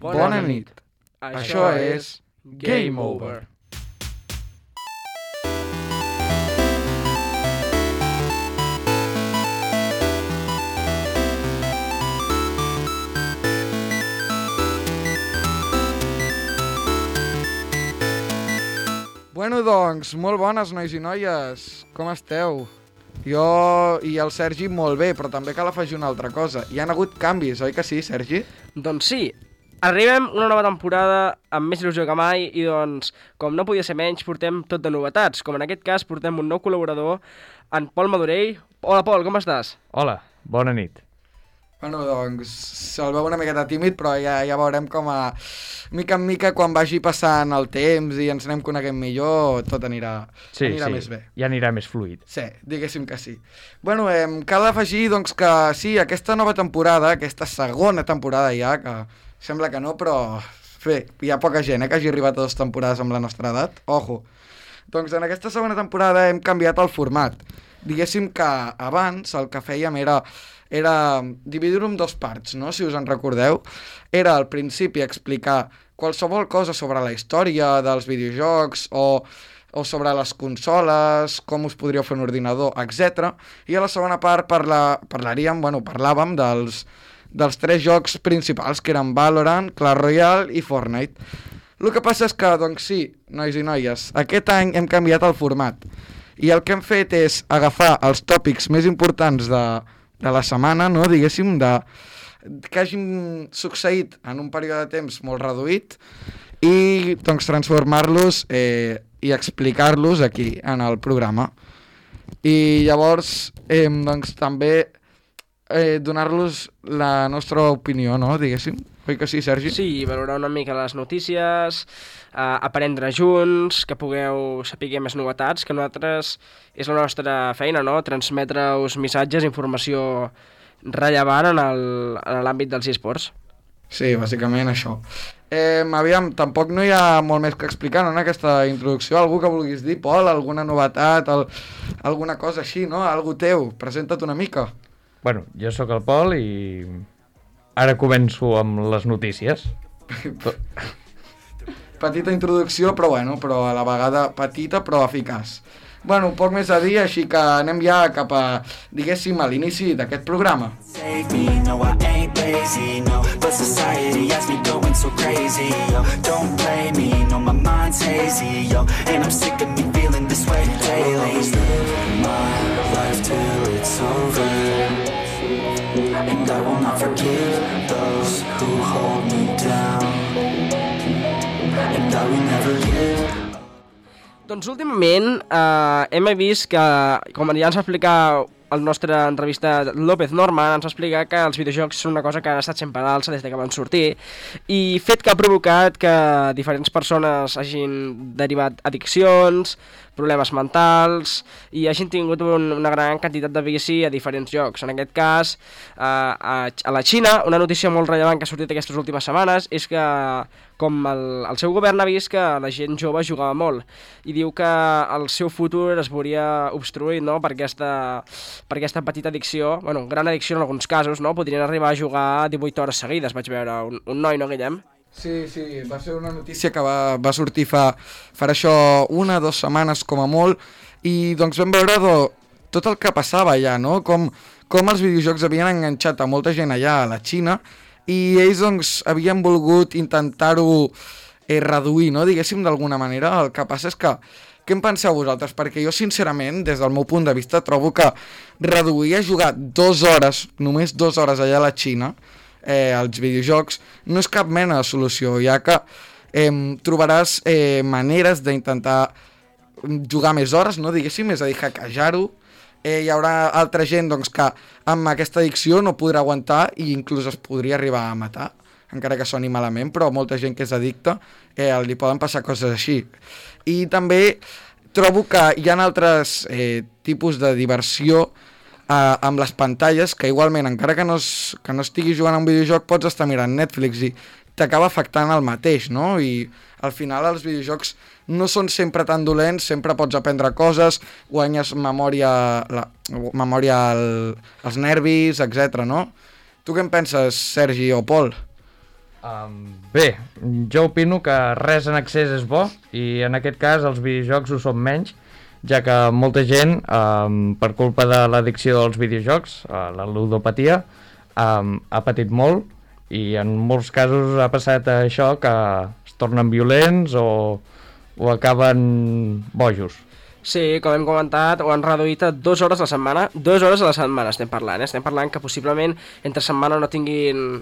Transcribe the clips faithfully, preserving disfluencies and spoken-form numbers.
Bona nit. Això és Game Over. Bueno, doncs, molt bones, nois i noies. Com esteu? Jo i el Sergi molt bé, però també cal afegir una altra cosa. Hi han hagut canvis, oi que sí, Sergi? Doncs sí. Arribem una nova temporada amb més il·lusió que mai i, doncs, com no podia ser menys, portem tot de novetats. Com en aquest cas, portem un nou col·laborador, en Pol Madurell. Hola, Pol, com estàs? Hola, bona nit. Bueno, doncs, se'l veu una miqueta tímid, però ja, ja veurem com a mica en mica, quan vagi passant el temps i ens anem coneguent millor, tot anirà, sí, anirà sí, més bé. Ja anirà més fluid. Sí, diguéssim que sí. Bueno, eh, cal afegir doncs, que sí, aquesta nova temporada, aquesta segona temporada ja, que sembla que no, però bé, hi ha poca gent eh, que hagi arribat a dues temporades amb la nostra edat, ojo. Doncs en aquesta segona temporada hem canviat el format. Diguéssim que abans el que fèiem era... era dividir-ho en dos parts, no? Si us en recordeu. Era al principi explicar qualsevol cosa sobre la història dels videojocs o, o sobre les consoles, com us podríeu fer un ordinador, etcètera. I a la segona part parla, parlaríem, bueno, parlàvem dels, dels tres jocs principals, que eren Valorant, Clash Royale i Fortnite. El que passa és que, doncs sí, nois i noies, aquest any hem canviat el format. I el que hem fet és agafar els tòpics més importants de... de la setmana, no? Diguéssim, de... que hagin succeït en un període de temps molt reduït i doncs transformar-los eh, i explicar-los aquí en el programa. I llavors eh, doncs també eh, donar-los la nostra opinió, no? Diguéssim. Oi que sí, Sergi? Sí, valorar una mica les notícies, eh, aprendre junts, que pugueu saber més novetats, que nosaltres és la nostra feina, no? Transmetre-us missatges, informació rellevant en l'àmbit dels esports. Sí, bàsicament això. Eh, aviam, tampoc no hi ha molt més que explicar, no?, en aquesta introducció. Algú que vulguis dir, Pol, alguna novetat, el, alguna cosa així, no? Algú teu, presenta't una mica. Bueno, jo sóc el Pol i ara començo amb les notícies. Petita introducció, però bueno, però a la vegada petita però eficaç. Bueno, poc més a dir, així que anem ja cap a, diguéssim, a l'inici d'aquest programa. And I will not forgive those who hold me down. And I will never give. Doncs últimament eh, hem vist que, com ja ens va explicar el nostre entrevistat López Norman, ens va explicar que els videojocs són una cosa que han estat sempre a l'alça des que van sortir i fet que ha provocat que diferents persones hagin derivat addiccions, problemes mentals i hagin tingut un, una gran quantitat de vici a diferents jocs. En aquest cas, eh, a, a la Xina, una notícia molt rellevant que ha sortit aquestes últimes setmanes és que com el, el seu govern ha vist que la gent jove jugava molt i diu que el seu futur es veuria obstruït, no?, per aquesta, per aquesta petita addicció, bueno, gran addicció en alguns casos, no?, podrien arribar a jugar divuit hores seguides, vaig veure un, un noi, no, Guillem? Sí, sí, va ser una notícia que va, va sortir fa, farà això una, dues setmanes com a molt, i doncs vam veure do, tot el que passava allà, no? Com, com els videojocs havien enganxat a molta gent allà a la Xina, i ells doncs havien volgut intentar-ho eh, reduir, no? Diguéssim, d'alguna manera. El que passa és que, què en penseu vosaltres? Perquè jo, sincerament, des del meu punt de vista, trobo que reduir a jugar dues hores, només dues hores allà a la Xina, Eh, els videojocs, no és cap mena de solució, ja que eh, trobaràs eh, maneres d'intentar jugar més hores, no, diguéssim, és a dir, hackejar-ho. Eh, hi haurà altra gent doncs, que amb aquesta addicció no podrà aguantar i inclús es podria arribar a matar, encara que soni malament, però molta gent que és addicta eh, li poden passar coses així. I també trobo que hi ha altres eh, tipus de diversió Uh, amb les pantalles, que igualment, encara que no, es, que no estiguis jugant a un videojoc, pots estar mirant Netflix i t'acaba afectant el mateix, no? I al final els videojocs no són sempre tan dolents, sempre pots aprendre coses, guanyes memòria, la, memòria al, als nervis, etcètera, no? Tu què en penses, Sergi o Pol? Um, bé, jo opino que res en excés és bo i en aquest cas els videojocs ho són menys, ja que molta gent, um, per culpa de l'addicció dels videojocs, uh, la ludopatia, um, ha patit molt i en molts casos ha passat això que es tornen violents o, o acaben bojos. Sí, com hem comentat, ho han reduït a dues hores a la setmana. Dues hores a la setmana estem parlant, eh? Estem parlant que possiblement entre setmana no tinguin...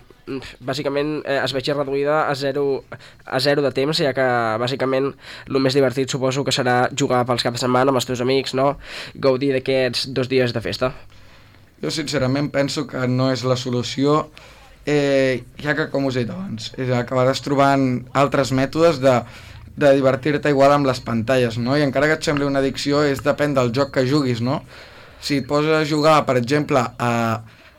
Bàsicament eh, es vegi reduïda a zero, a zero de temps, ja que bàsicament el més divertit suposo que serà jugar pels caps de setmana amb els teus amics, no? Gaudir d'aquests dos dies de festa. Jo sincerament penso que no és la solució, eh, ja que, com us he dit abans, és, acabaràs trobant altres mètodes de... de divertir-te igual amb les pantalles, no? I encara que et sembli una addicció, és depèn del joc que juguis, no? Si et poses a jugar, per exemple, a,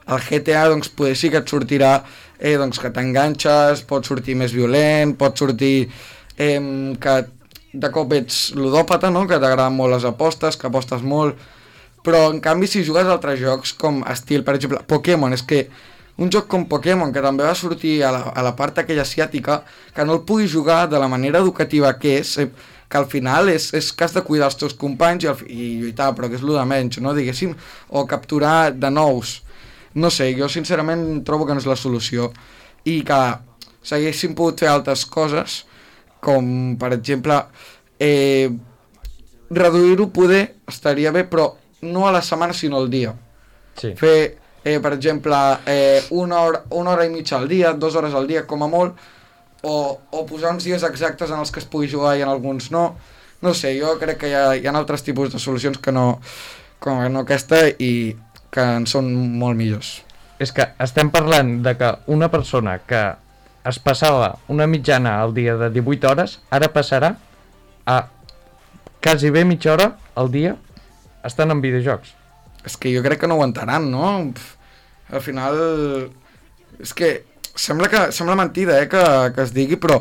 al G T A, doncs potser sí que et sortirà eh, doncs que t'enganxes, pot sortir més violent, pot sortir eh, que de cop ets ludòpata, no? Que t'agraden molt les apostes, que apostes molt, però en canvi si jugues a altres jocs com estil, per exemple, Pokémon, és que un joc com Pokémon, que també va sortir a la, a la part aquella asiàtica, que no el puguis jugar de la manera educativa que és, eh, que al final és, és que has de cuidar els teus companys i, el, i lluitar, però que és el de menys, no? Diguéssim, o capturar de nous. No sé, jo sincerament trobo que no és la solució i que s'haguessin pogut fer altres coses, com per exemple, eh, reduir-ho poder estaria bé, però no a la setmana sinó al dia. Sí. Fer... Eh, per exemple, eh, una, hora, una hora i mitja al dia, dues hores al dia com a molt, o, o posar uns dies exactes en els que es pugui jugar i en alguns no. No sé, jo crec que hi ha, hi ha altres tipus de solucions que no, com no aquesta i que en són molt millors. És que estem parlant de que una persona que es passava una mitjana al dia de divuit hores, ara passarà a quasi bé mitja hora al dia estan en videojocs. És que jo crec que no ho aguantaran, no? Pff, al final... És que sembla que sembla mentida, eh, que, que es digui, però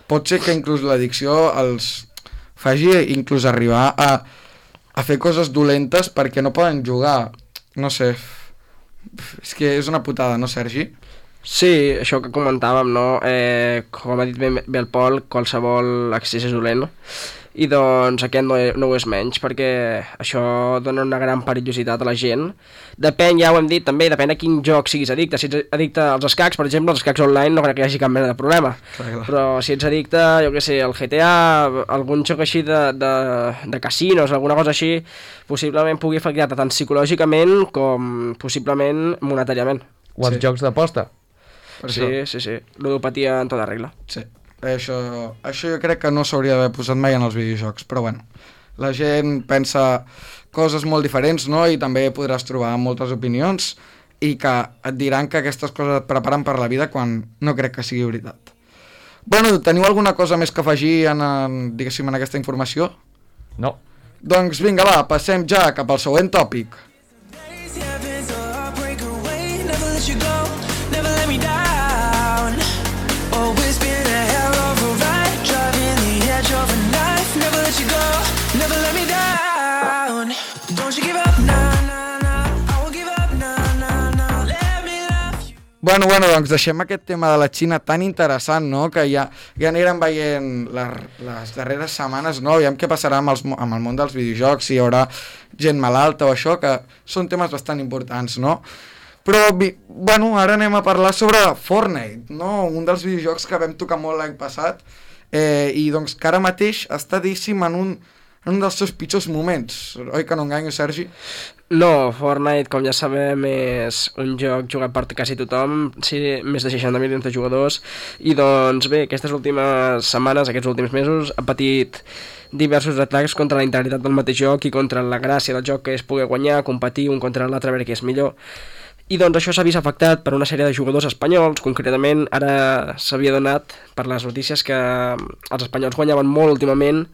pot ser que inclús l'addicció els faci inclús arribar a, a fer coses dolentes perquè no poden jugar. No sé, és que és una putada, no, Sergi? Sí, això que comentàvem, no? Eh, com ha dit bé, bé el Pol, qualsevol accés és dolent, i doncs aquest no, no ho és menys, perquè això dona una gran perillositat a la gent. Depèn, ja ho hem dit també, depèn a quin joc siguis addicte. Si ets addicte als escacs, per exemple, els escacs online no crec que hi hagi cap mena de problema. Clar, clar. Però si ets addicte, jo què sé, al G T A, algun joc així de, de, de casinos, alguna cosa així, possiblement pugui afectar-te tant psicològicament com possiblement monetàriament. O els Sí. jocs d'aposta. Per Sí, això. sí, sí, ludopatia en tota regla. Sí. Això, això jo crec que no s'hauria d'haver posat mai en els videojocs, però bueno, la gent pensa coses molt diferents, no? I també podràs trobar moltes opinions i que et diran que aquestes coses et preparen per la vida quan no crec que sigui veritat. Bueno, teniu alguna cosa més que afegir en, en, diguéssim, en aquesta informació? No. Doncs vinga, va, passem ja cap al següent tòpic. Bueno, bueno, doncs deixem aquest tema de la Xina tan interessant, no?, que ja, ja anirem veient les, les darreres setmanes, no?, aviam què passarà amb, els, amb el món dels videojocs, si hi haurà gent malalta o això, que són temes bastant importants, no? Però, bueno, ara anem a parlar sobre Fortnite, no?, un dels videojocs que vam tocar molt l'any passat, eh, i doncs que ara mateix està, diguéssim, en un, en un dels seus pitjors moments, oi que no enganyo, Sergi? No, Fortnite, com ja sabem, és un joc jugat per quasi tothom, sí, més de seixanta milions de jugadors, i doncs bé, aquestes últimes setmanes, aquests últims mesos, ha patit diversos atacs contra la integritat del mateix joc i contra la gràcia del joc, que és poder guanyar, competir un contra l'altre, a veure què és millor. I doncs això s'ha vist afectat per una sèrie de jugadors espanyols, concretament ara s'havia donat per les notícies que els espanyols guanyaven molt últimament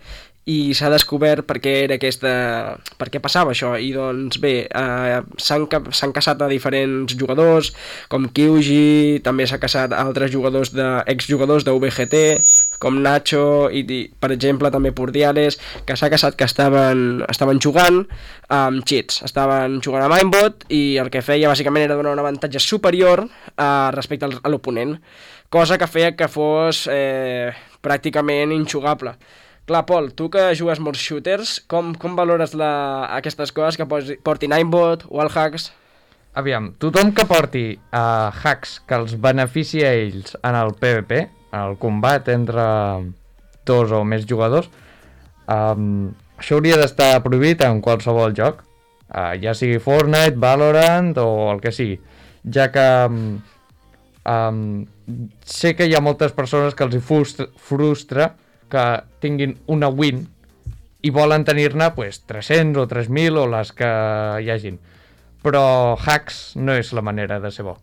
i s'ha descobert per què era aquesta, per què passava això, i doncs bé, eh, s'han, s'han casat a diferents jugadors, com Kyuji, també s'ha casat a altres jugadors de, exjugadors de V G T, com Nacho i, i per exemple, també Pordiales, que s'ha casat que estaven, estaven jugant amb cheats, estaven jugant amb aimbot i el que feia bàsicament era donar un avantatge superior eh, respecte al, a l'oponent, cosa que feia que fos eh, pràcticament injugable. Clar, Pol, tu que jugues molts shooters, com, com valores la, aquestes coses que posi, portin aimbot, wallhacks? Aviam, tothom que porti uh, hacks que els benefici a ells en el PvP, en el combat entre dos o més jugadors, um, això hauria d'estar prohibit en qualsevol joc, uh, ja sigui Fortnite, Valorant o el que sigui, ja que um, um, sé que hi ha moltes persones que els hi frustra, frustra que tinguin una win i volen tenir-ne pues, tres-cents o tres mil o les que hi hagin. Però hacks no és la manera de ser bo.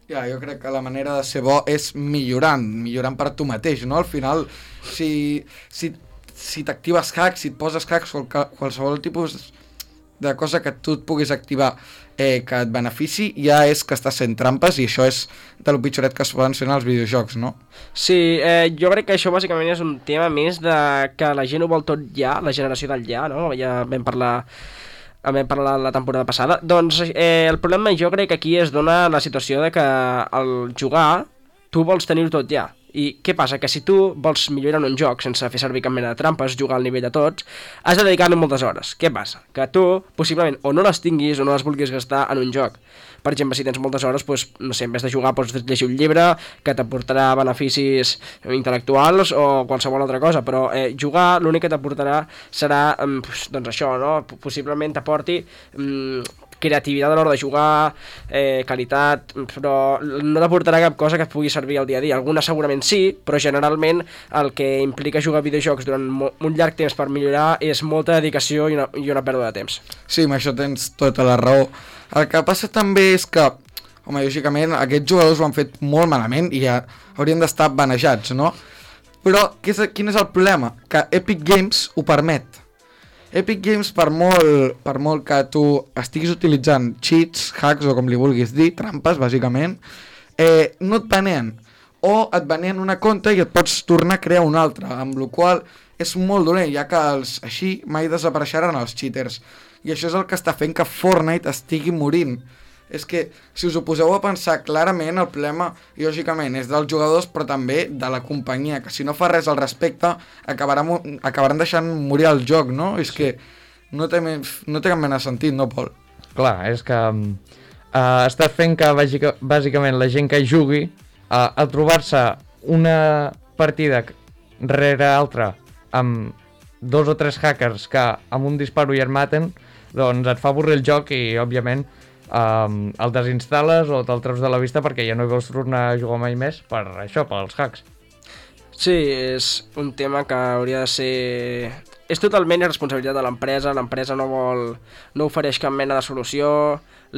Ja, jo crec que la manera de ser bo és millorant, millorant per tu mateix, no? Al final, si, si, si t'actives hacks, si et poses hacks o qualsevol tipus de cosa que tu et puguis activar eh, que et benefici, ja és que estàs fent trampes i això és de lo pitjoret que es poden fer en els videojocs, no? Sí, eh, jo crec que això bàsicament és un tema més de que la gent ho vol tot ja, la generació del ja, no? Ja vam parlar... vam parlar la temporada passada, doncs eh, el problema jo crec que aquí es dona la situació de que al jugar tu vols tenir-ho tot ja. I què passa? Que si tu vols millorar en un joc sense fer servir cap mena de trampes, jugar al nivell de tots, has de dedicar-hi moltes hores. Què passa? Que tu, possiblement, o no les tinguis o no les vulguis gastar en un joc. Per exemple, si tens moltes hores, doncs, no sé, en vez de jugar pots llegir un llibre que t'aportarà beneficis intel·lectuals o qualsevol altra cosa, però eh, jugar l'únic que t'aportarà serà, eh, doncs això, no? Possiblement t'aporti... Eh, creativitat a l'hora de jugar, eh, qualitat, però no t'aportarà cap cosa que et pugui servir al dia a dia. Alguna segurament sí, però generalment el que implica jugar a videojocs durant un llarg temps per millorar és molta dedicació i una, i una pèrdua de temps. Sí, amb això tens tota la raó. El que passa també és que, home, lògicament, aquests jugadors ho han fet molt malament i ja haurien d'estar banejats, no? Però què és, quin és el problema? Que Epic Games ho permet. Epic Games, per molt, per molt que tu estiguis utilitzant cheats, hacks o com li vulguis dir, trampes, bàsicament, eh, no et baneen. O et baneen una compte i et pots tornar a crear una altra, amb la qual és molt dolent, ja que els, així mai desapareixeran els cheaters. I això és el que està fent que Fortnite estigui morint. És que, si us ho poseu a pensar clarament, el problema, lògicament, és dels jugadors, però també de la companyia, que si no fa res al respecte, acabaran, acabaran deixant morir el joc, no? És que no té, no té cap mena de sentit, no, Pol? Clar, és que uh, està fent que, bàsica, bàsicament, la gent que jugui, uh, al trobar-se una partida rere altra amb dos o tres hackers que amb un disparo ja et maten, doncs et fa avorrir el joc i, òbviament, Um, el desinstal·les o te'l treus de la vista perquè ja no hi vols tornar a jugar mai més per això, pels hacks. Sí, és un tema que hauria de ser... És totalment responsabilitat de l'empresa, l'empresa no vol... no ofereix cap mena de solució,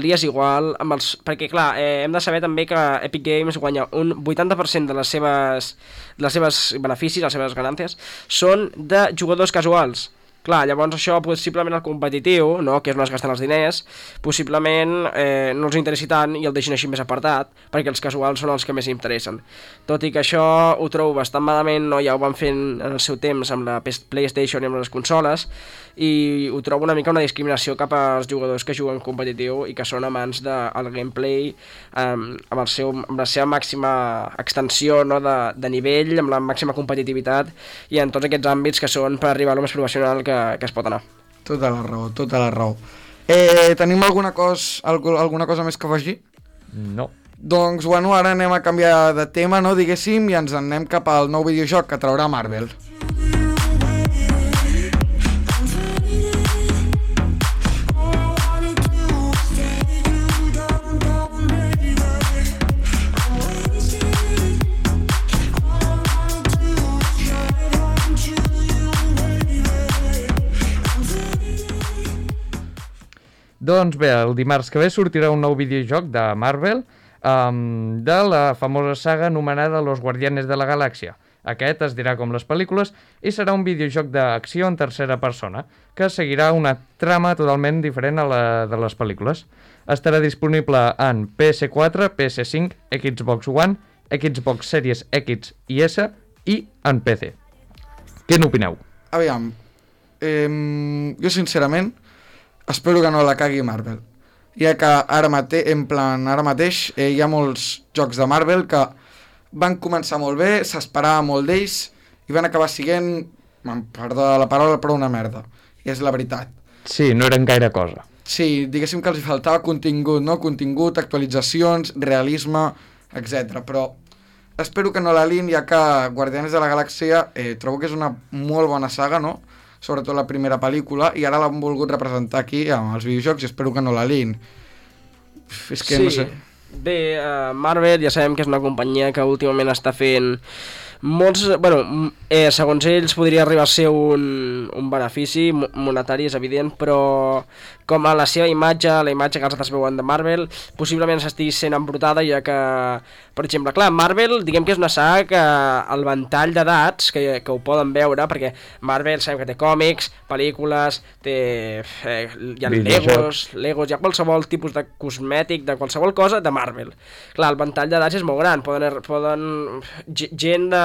li és igual, amb els... perquè clar, eh, hem de saber també que Epic Games guanya un vuitanta per cent de les seves, de les seves beneficis, les seves ganàncies, són de jugadors casuals. Clar, llavors això possiblement el competitiu, no, que és on es gasten els diners, possiblement eh, no els interessi tant i el deixin així més apartat, perquè els casuals són els que més interessen. Tot i que això ho trobo bastant malament, no, ja ho van fent en el seu temps amb la PlayStation i amb les consoles, i ho trobo una mica una discriminació cap als jugadors que juguen competitiu i que són amants del gameplay um, amb, el seu, amb la seva màxima extensió, no, de, de nivell, amb la màxima competitivitat i en tots aquests àmbits que són per arribar a lo més professional que, que es pot anar. Tota la raó, tota la raó. Eh, tenim alguna cosa, alguna cosa més que afegir? No. Doncs, bueno, ara anem a canviar de tema, no, diguéssim, i ens en anem cap al nou videojoc que traurà Marvel. Doncs bé, el dimarts que ve sortirà un nou videojoc de Marvel um, de la famosa saga anomenada Los Guardianes de la Galàxia. Aquest es dirà com les pel·lícules i serà un videojoc d'acció en tercera persona que seguirà una trama totalment diferent a la de les pel·lícules. Estarà disponible en P S quatre, P S cinc, Xbox One, Xbox Series X i S i en P C. Què n'opineu? Aviam, eh, jo sincerament espero que no la cagui Marvel, ja que ara, mate en plan, ara mateix eh, hi ha molts jocs de Marvel que van començar molt bé, s'esperava molt d'ells i van acabar siguent, perdó la paraula, però una merda, i és la veritat. Sí, no eren gaire cosa. Sí, diguéssim que els faltava contingut, no? Contingut, actualitzacions, realisme, etcètera. Però espero que no la lin, ja que Guardianes de la Galàxia eh, trobo que és una molt bona saga, no? Sobretot la primera pel·lícula, i ara l'han volgut representar aquí amb els videojocs i espero que no la lin. És que sí. no sé. Bé, uh, Marvel ja sabem que és una companyia que últimament està fent molts, bueno, eh, segons ells podria arribar a ser un, un benefici monetari, és evident, però com a la seva imatge, la imatge que els altres veuen de Marvel, possiblement s'estigui sent embrutada, ja que, per exemple, clar, Marvel, diguem que és una saga que el ventall d'edats que, que ho poden veure, perquè Marvel sabem que té còmics, pel·lícules, té eh, hi ha Legos, Legos, hi ha qualsevol tipus de cosmètic, de qualsevol cosa de Marvel. Clar, el ventall d'edats és molt gran, poden, poden gent de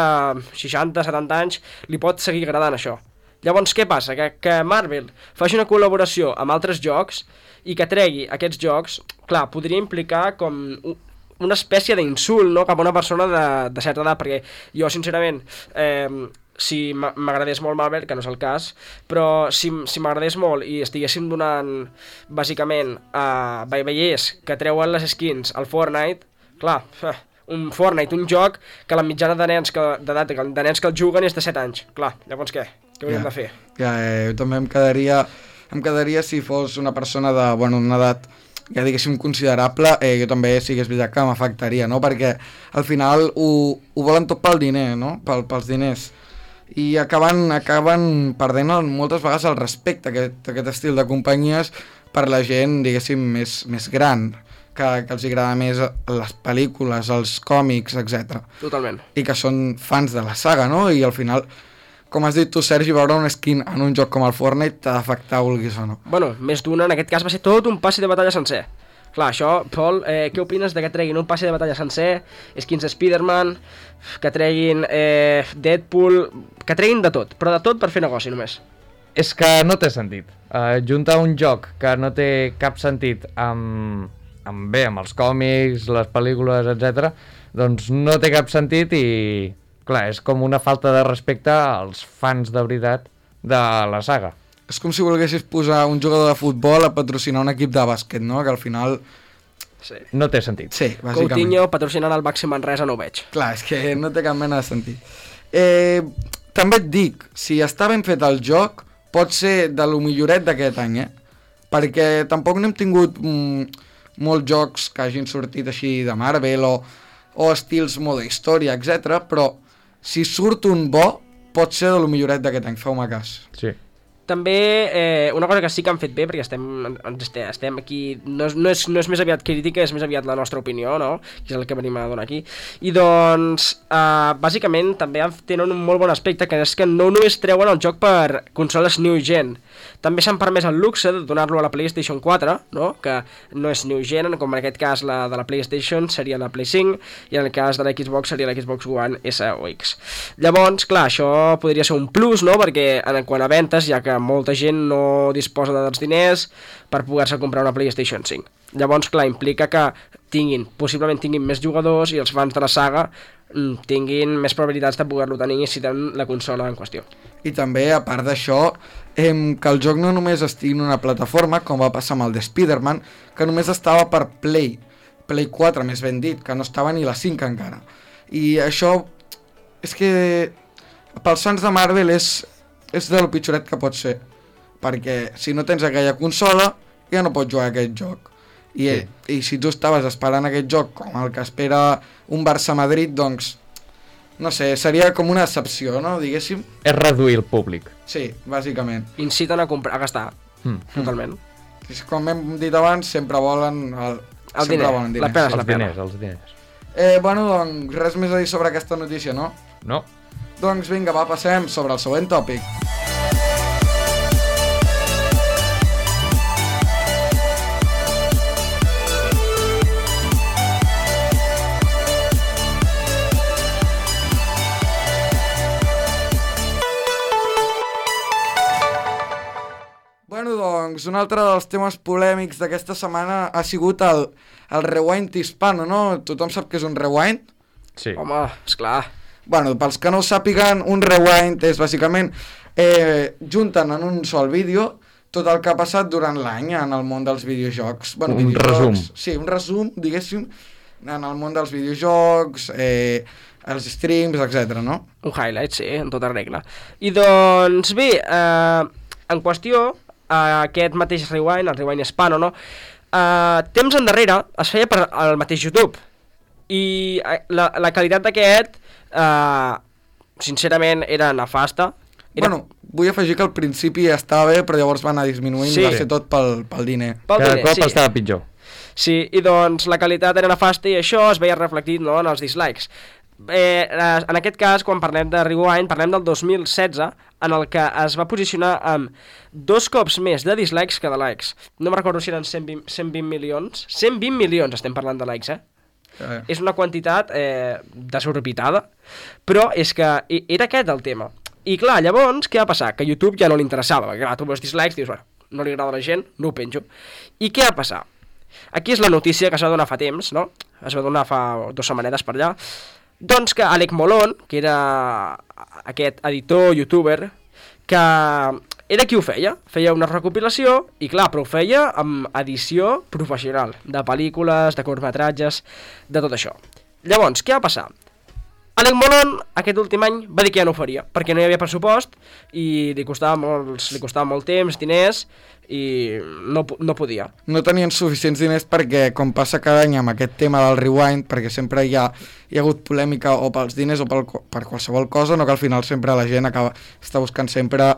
seixanta, setanta anys li pot seguir agradant això. Llavors què passa? Que, que Marvel faci una col·laboració amb altres jocs i que tregui aquests jocs, clar, podria implicar com una espècie d'insult, no?, cap a una persona de, de certa edat, perquè jo sincerament eh, si m'agradés molt Marvel, que no és el cas, però si, si m'agradés molt i estiguéssim donant bàsicament a uh, veiés que treuen les skins al Fortnite, clar, un Fortnite, un joc que la mitjana de nens que, d'edat, de nens que el juguen és de set anys. Clar, llavors què? Què hauríem ja, de fer? Ja, eh, jo també em quedaria, em quedaria si fos una persona de, bueno, una edat, ja diguéssim, considerable, eh, jo també sí que és veritat que m'afectaria, no? Perquè al final ho, ho volen tot pel diner, no? Pel, pels diners. I acaben, acaben perdent moltes vegades el respecte a aquest, a aquest estil de companyies per la gent, diguéssim, més, més gran, que, que els agrada més les pel·lícules, els còmics, etcètera. Totalment. I que són fans de la saga, no? I al final, com has dit tu, Sergi, veure un skin en un joc com el Fortnite t'ha d'afectar, vulguis o no. Bueno, més d'una, en aquest cas va ser tot un passi de batalla sencer. Clar, això, Pol, eh, què opines de que treguin un passi de batalla sencer, skins de Spider-Man, que treguin eh, Deadpool, que treguin de tot, però de tot per fer negoci només? És que no té sentit. Uh, juntar un joc que no té cap sentit amb... amb bé, amb els còmics, les pel·lícules, etcètera, doncs no té cap sentit i, clar, és com una falta de respecte als fans de veritat de la saga. És com si volguessis posar un jugador de futbol a patrocinar un equip de bàsquet, no? Que al final... Sí. No té sentit. Sí, bàsicament. Coutinho patrocinant el Baxi Manresa no ho veig. Clar, és que no té cap mena de sentit. Eh, també et dic, si està ben fet el joc, pot ser de lo milloret d'aquest any, eh? Perquè tampoc no hem tingut... Mm, molts jocs que hagin sortit així de Marvel o, o estils modo història, etcètera. Però si surt un bo, pot ser de lo milloret d'aquest any, feu-me cas. Sí. També eh, una cosa que sí que han fet bé, perquè estem, estem aquí, no és, no, és, no és més aviat crítica, és més aviat la nostra opinió, no? Que és el que venim a donar aquí. I doncs, eh, bàsicament, també tenen un molt bon aspecte, que és que no només treuen el joc per consoles new gen, també s'han permès el luxe de donar-lo a la PlayStation quatre, no? Que no és new gen, com en aquest cas la de la PlayStation seria la Play cinc, i en el cas de la Xbox seria la Xbox One S o X. Llavors, clar, això podria ser un plus, no? Perquè en quant a ventes, ja que molta gent no disposa dels diners per poder-se comprar una PlayStation cinc. Llavors, clar, implica que tinguin, possiblement tinguin més jugadors i els fans de la saga tinguin més probabilitats de poder-lo tenir si tenen la consola en qüestió. I també, a part d'això, eh, que el joc no només estigui en una plataforma, com va passar amb el de Spider-Man, que només estava per Play, Play quatre, més ben dit, que no estava ni la cinc encara. I això, és que pels fans de Marvel és, és de lo pitjoret que pot ser, perquè si no tens aquella consola, ja no pots jugar a aquest joc. I, sí. I si tu estaves esperant aquest joc com el que espera un Barça-Madrid, doncs, no sé, seria com una excepció, no?, diguéssim. És reduir el públic. Sí, bàsicament. Inciten a comprar, a gastar, mm. totalment. Mm. Com hem dit abans, sempre volen el, el diner, volen diners. La pena és la pena. Els diners, els diners. Eh, bueno, doncs, res més a dir sobre aquesta notícia, no? No. Doncs vinga, va, passem sobre el següent tòpic. doncs un altre dels temes polèmics d'aquesta setmana ha sigut el, el rewind hispano, no? Tothom sap què és un rewind? Sí. Home, esclar. Bueno, pels que no ho sàpiguen, un rewind és bàsicament eh, junten en un sol vídeo tot el que ha passat durant l'any en el món dels videojocs. Bueno, un videojocs, resum. Sí, un resum, diguéssim, en el món dels videojocs, eh, els streams, etcètera, no? Un highlight, sí, en tota regla. I doncs bé, eh, en qüestió, eh, aquest mateix rewind, el rewind hispano, no? Eh, temps endarrere es feia per al mateix YouTube. I eh, la, la qualitat d'aquest, eh, sincerament, era nefasta. Era... Bueno, vull afegir que al principi estava bé, però llavors va anar disminuint Sí. i va ser tot pel, pel diner. Pel Cada diner, cop sí. estava pitjor. Sí, i doncs la qualitat era nefasta i això es veia reflectit, no, en els dislikes. Eh, en aquest cas, quan parlem de Rewind, parlem del dos mil setze, en el que es va posicionar amb dos cops més de dislikes que de likes. No me'n recordo si eren cent vint, cent vint milions. cent vint milions estem parlant de likes, eh? Eh. És una quantitat eh, desorbitada, però és que era aquest el tema. I clar, llavors, què va passar? Que a YouTube ja no li interessava, perquè clar, tu veus dislikes i dius, bueno, no li agrada a la gent, no ho penjo. I què va passar? Aquí és la notícia que es va donar fa temps, no? Es va donar fa dues setmanetes per allà. Doncs que Alec Molon, que era aquest editor, youtuber, que era qui ho feia, feia una recopilació i clar, però ho feia amb edició professional, de pel·lícules, de curtmetratges, de tot això. Llavors, què va passar? Alec Molon aquest últim any va dir que ja no ho faria, perquè no hi havia pressupost i li costava, molts, li costava molt temps, diners, i no, no podia. No tenien suficients diners perquè, com passa cada any amb aquest tema del rewind, perquè sempre hi ha, hi ha hagut polèmica o pels diners o pel, per qualsevol cosa, no que al final sempre la gent acaba, està buscant sempre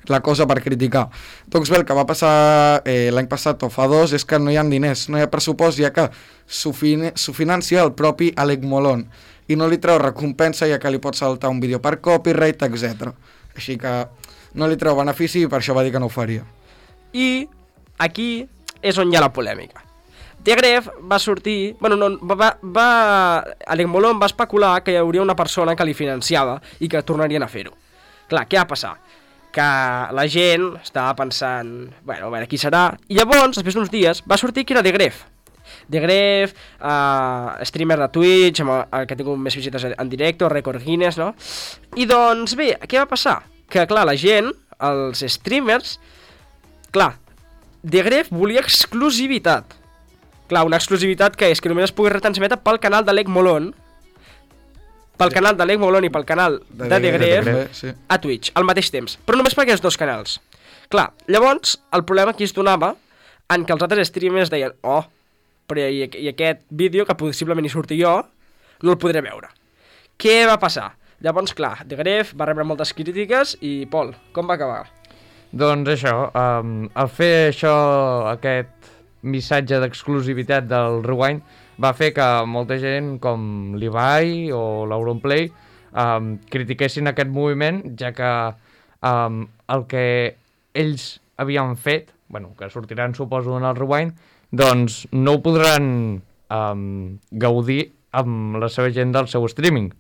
la cosa per criticar. Doncs bé, el que va passar eh, l'any passat o fa dos és que no hi ha diners, no hi ha pressupost, ja que s'ho fin financia el propi Alec Molon i no li treu recompensa, ja que li pot saltar un vídeo per copyright, etcètera. Així que no li treu benefici i per això va dir que no ho faria. I aquí és on hi ha la polèmica. The Gref va sortir... Bueno, no, va, va, Alec Molon va especular que hi hauria una persona que li financiava i que tornarien a fer-ho. Clar, què va passar? Que la gent estava pensant... Bueno, a veure, qui serà? I llavors, després d'uns dies, va sortir que era The Gref. The Gref, uh, streamer de Twitch, amb el que ha tingut més visites en directe, Record Guinness, no? I doncs bé, què va passar? Que clar, la gent, els streamers, clar, The Gref volia exclusivitat. Clar, una exclusivitat que és que només es pugui retransmetre pel canal d'Alec Molon, pel canal d'Alec Molon i pel canal de, de The Gref sí. a Twitch, al mateix temps. Però només per aquests dos canals. Clar, llavors, el problema aquí es donava en que els altres streamers deien, oh, però i, i aquest vídeo, que possiblement hi surti jo, no el podré veure. Què va passar? Llavors, clar, The Gref va rebre moltes crítiques i, Pol, com va acabar? Doncs això, um, al fer això, aquest missatge d'exclusivitat del Rewind, va fer que molta gent, com l'Ibai o l'Auronplay, um, critiquessin aquest moviment, ja que um, el que ells havien fet, bueno, que sortiran, suposo, en el Rewind, doncs no ho podran um, gaudir amb la seva gent del seu streaming.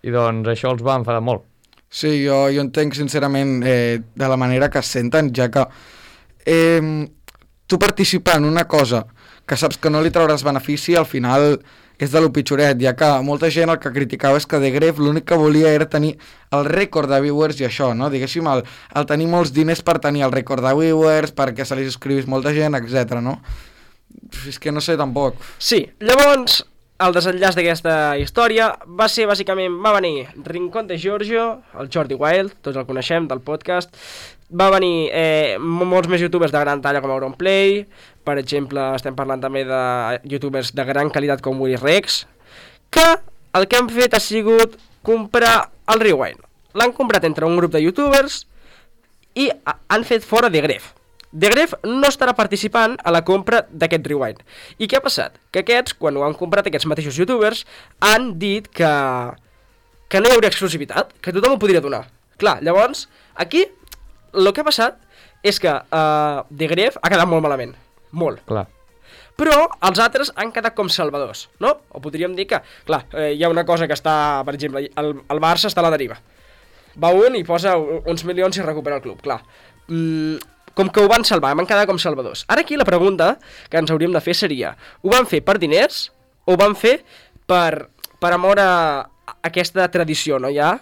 I doncs això els va enfadar molt. Sí, jo, jo entenc sincerament eh, de la manera que es senten, ja que eh, tu participar en una cosa que saps que no li trauràs benefici, al final és de lo pitjoret, ja que molta gent el que criticava és que The Gref l'únic que volia era tenir el rècord de viewers i això, no? Diguéssim, el, el tenir molts diners per tenir el rècord de viewers, perquè se li subscrivís molta gent, etcètera, no? És que no sé tampoc. Sí, llavors, el desenllaç d'aquesta història va ser, bàsicament, va venir Rincón de Giorgio, el Jordi Wild, tots el coneixem, del podcast, va venir eh, molts més youtubers de gran talla com Auronplay, per exemple, estem parlant també de youtubers de gran qualitat com Willy Rex, que el que han fet ha sigut comprar el Rewind. L'han comprat entre un grup de youtubers i han fet fora The Gref. The Gref no estarà participant a la compra d'aquest Rewind. I què ha passat? Que aquests, quan ho han comprat aquests mateixos youtubers, han dit que, que no hi hauria exclusivitat, que tothom ho podria donar. Clar, llavors, aquí, el que ha passat és que uh, The Gref ha quedat molt malament. Molt. Clar. Però els altres han quedat com salvadors, no? O podríem dir que, clar, eh, hi ha una cosa que està, per exemple, el, el Barça està a la deriva. Va un i posa uns milions i recupera el club, clar. Mm, com que ho van salvar, van quedar com salvadors. Ara aquí la pregunta que ens hauríem de fer seria, ho van fer per diners o ho van fer per, per amor a aquesta tradició, no ja?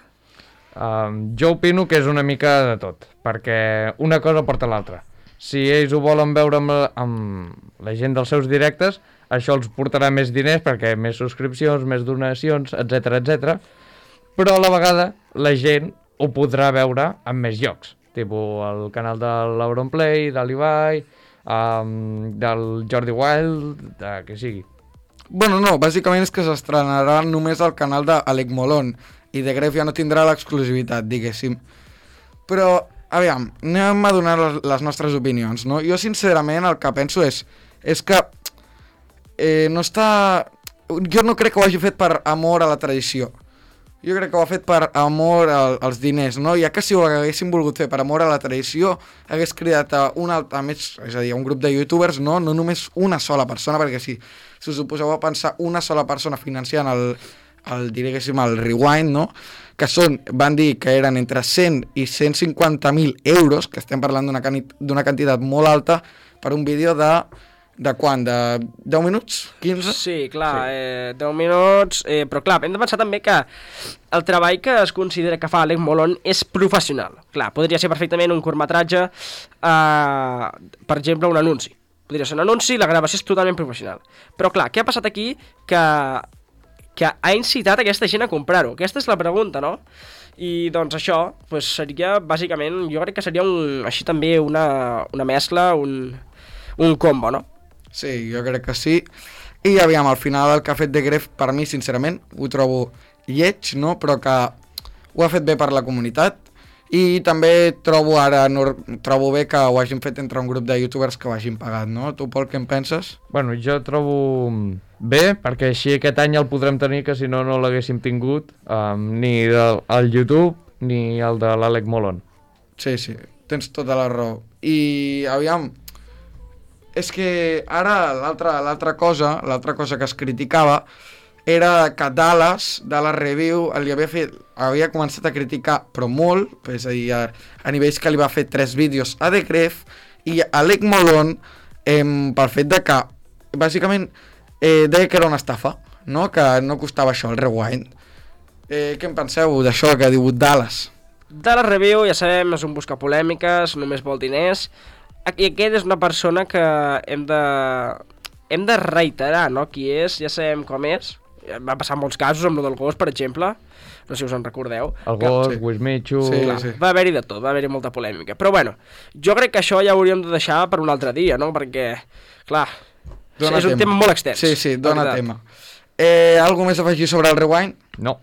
Um, jo opino que és una mica de tot, perquè una cosa porta l'altra. Si ells ho volen veure amb la, amb la gent dels seus directes, això els portarà més diners perquè més subscripcions, més donacions, etcètera, etcètera. Però a la vegada la gent ho podrà veure en més llocs, tipus el canal de l'Auronplay, de l'Ibai, um, del Jordi Wild, de que sigui. Bueno, no, bàsicament és que s'estrenarà només al canal d'Alec Molon i de Gref ja no tindrà l'exclusivitat, diguéssim. Però, aviam, anem a donar les, les nostres opinions, no? Jo, sincerament, el que penso és, és que eh, no està... Jo no crec que ho hagi fet per amor a la tradició. Jo crec que ho ha fet per amor al, als diners, no? Ja que si ho haguéssim volgut fer per amor a la tradició, hagués cridat a, una, a, més, és a dir, a un grup de youtubers, no? No només una sola persona, perquè si, si us ho poseu a pensar, una sola persona financiant el, el, diguéssim, el Rewind, no? Que són, van dir que eren entre cent i cent cinquanta mil euros, que estem parlant d'una d'una quantitat molt alta, per un vídeo de... De quan? De deu minuts? quinze? Sí, clar, sí. Eh, deu minuts, eh, però clar, hem de pensar també que el treball que es considera que fa Alec Molon és professional. Clar, podria ser perfectament un curtmetratge, eh, per exemple, un anunci. Podria ser un anunci, la gravació és totalment professional. Però clar, què ha passat aquí que, que ha incitat aquesta gent a comprar-ho? Aquesta és la pregunta, no? I doncs això pues, seria, bàsicament, jo crec que seria un, així també una, una mescla, un, un combo, no? Sí, jo crec que sí. I aviam, al final el que ha fet de Gref, per mi, sincerament, ho trobo lleig, no? Però que ho ha fet bé per la comunitat. I també trobo ara, no, trobo bé que ho hagin fet entre un grup de youtubers que ho hagin pagat, no? Tu, Pol, què en penses? Bueno, jo trobo bé, perquè així aquest any el podrem tenir, que si no, no l'haguéssim tingut, um, ni del, el YouTube ni el de l'Alec Molon. Sí, sí, tens tota la raó. I, aviam... És que ara l'altra l'altra cosa, l'altra cosa que es criticava era que Dallas, Dallas Review, li havia fet, havia començat a criticar, però molt, és a dir, a, a nivells que li va fer tres vídeos a The Gref, i Alec Molon, eh, pel fet de que, bàsicament, eh, deia que era una estafa, no? Que no costava això, el Rewind. Eh, què en penseu d'això que ha dit Dallas? Dallas Review, ja sabem, és un busca polèmiques, només vol diners. I aquest és una persona que hem de, hem de reiterar, no? Qui és, ja sabem com és. Va passar molts casos amb el del gos, per exemple. No sé si us en recordeu. El gos, sí. Wismichu... Sí, clar, sí. Va haver-hi de tot, va haver-hi molta polèmica. Però bueno, jo crec que això ja ho hauríem de deixar per un altre dia, no? Perquè, clar, Dona és un tema. tema molt extens. Sí, sí, dona tema. Eh, algo més a afegir sobre el Rewind? No.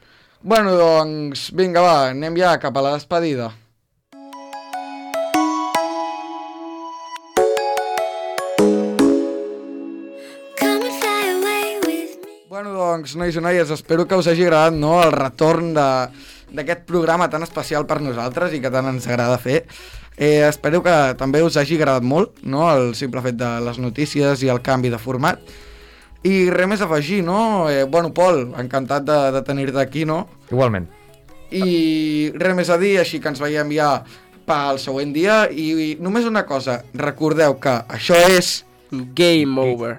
Bueno, doncs, vinga, va, anem ja cap a la despedida. Bueno, doncs, nois i noies, espero que us hagi agradat, no?, el retorn d'aquest programa tan especial per nosaltres i que tant ens agrada fer. Eh, espero que també us hagi agradat molt, no?, el simple fet de les notícies i el canvi de format. I res més a afegir, no? Eh, bueno, Pol, encantat de, de tenir-te aquí, no? Igualment. I res més a dir, així que ens veiem ja pel següent dia. I, i només una cosa, recordeu que això és... Game over.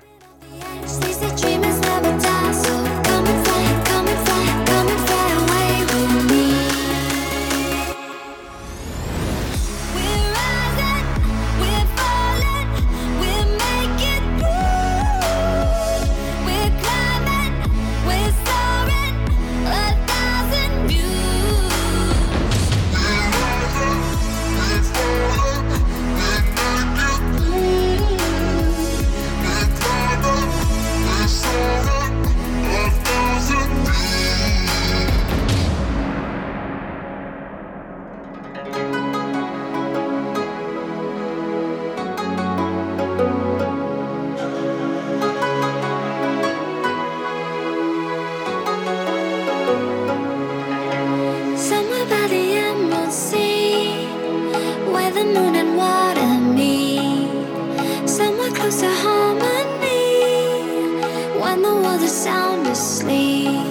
Sound asleep.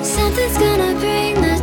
Something's gonna bring the